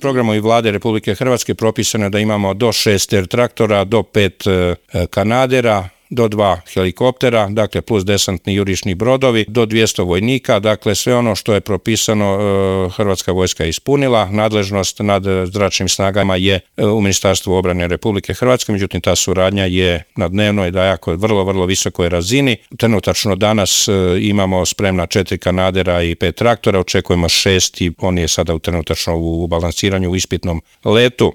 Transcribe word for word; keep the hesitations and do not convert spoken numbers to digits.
Programom i Vlade Republike Hrvatske propisano je da imamo do šest er traktora, do pet kanadera, do dva helikoptera, dakle plus desantni jurišni brodovi, do dvjesto vojnika, dakle sve ono što je propisano Hrvatska vojska je ispunila. Nadležnost nad zračnim snagama je u Ministarstvu obrane Republike Hrvatske, međutim ta suradnja je na dnevnoj, da jako vrlo, vrlo visokoj razini. Trenutačno danas imamo spremna četiri kanadera i pet traktora, očekujemo šest i on je sada trenutačno u balansiranju u ispitnom letu.